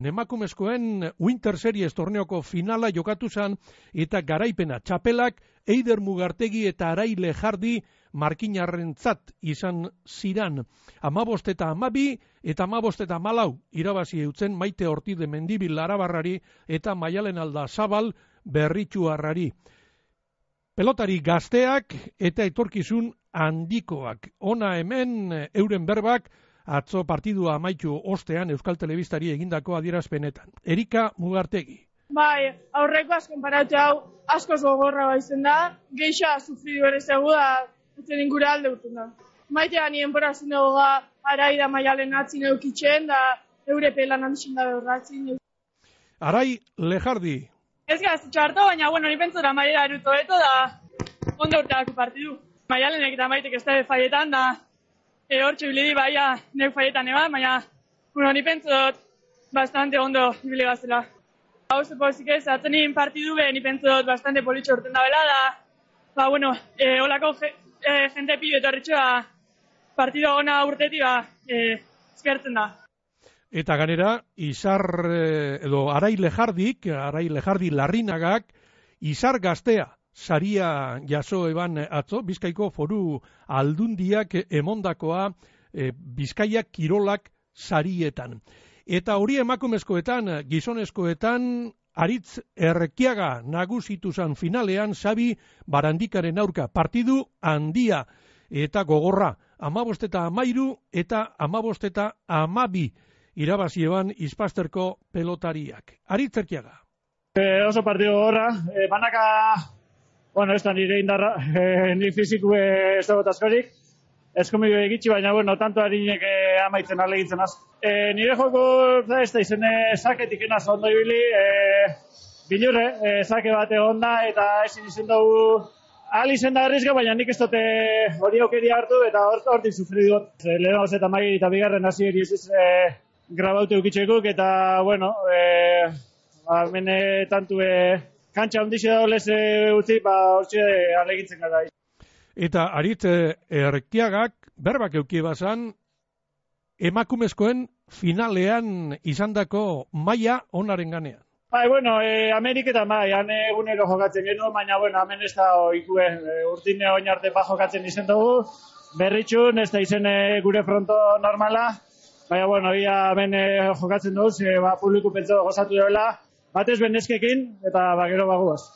Emakumezkoen Winter Series torneoko finala jokatu zen eta garaipena txapelak Eider Mugartegi eta Arai Lejardi markinarrentzat izan ziran. 15 eta 12 eta 15 eta 14 irabazi eutzen Maite Ortide Mendibil Arabarrari eta Maialen Aldazabal Berritxuarrari. Pelotari gazteak eta etorkizun handikoak. Ona hemen euren berbak atzo partidua amaitu ostean Euskal Telebistari egindako adierazpenetan. Erika Mugartegi. Bai, aurreko konparatu hau askoz gogorra baizen da, geixa sufridu ere zegu da, etzen ingure alde urten da. Maitea nien porazin dugu Arai da Maialen atzin eukitzen, da eure pelan handixin da behorratzin. Arai Lejardi. Ez gaz, txarto, baina, ni pentsora Maiera eruto eto da ondo urteako partidu. Maialenek eta Maitek ez da faietan da, hortxe bilidi baia nek faietan eban, baina ni pentsot bastante ondo ibili gazela. Hau zepozik ez, atzenin partidu be, ni pentsot bastante politxo urten da bela da, holako jente pibe etorritxoa partidu gona urteti eskertzen da. Eta ganera, Arai Lejardi Larrinagak, Izar Gaztea, saria jaso eban atzo, Bizkaiko Foru Aldundiak emondakoa Bizkaia Kirolak sarietan. Eta hori emakumezkoetan, gizonezkoetan, Aritz Errekiaga nagusitu zan finalean Xabi Barandikaren aurka. Partidu handia eta gogorra. 15 eta 13 eta 15 eta 12 irabazi eban Ispasterko pelotariak. Aritz Errekiaga. Oso partidu gogorra. Banaka... ez da nire indarra, nire fiziku ez dago askorik. Eskomio egitsi, baina, tanto harinek amaitzen alegintzen az. Nire joko, ez da izen saketik enaz ondo ibili, bilurre, sake bat egon da, eta ezin izen dugu izen da arrizka, baina nik ez dute hori aukeria hartu, eta hortik sufri dut. Lehenagoz eta Mai eta bigarren hasi eri ez grabaute eukitzekuk, eta, hemen tantu kantxa ondixe da olez utzi, hortxe alegintzen gara. Eta Aritz Errekiagak berbak eukie bazan, emakumezkoen finalean izandako maila onaren ganean. Ameriketan han egunero jokatzen genuen, baina hemen ez da ikue urtine oin arte jokatzen izen dugu, berritxun, ez da izen gure fronto normala, baina hemen jokatzen dugu, publiku pentsa gozatu dela, batez benezkekin, eta gero bagoaz.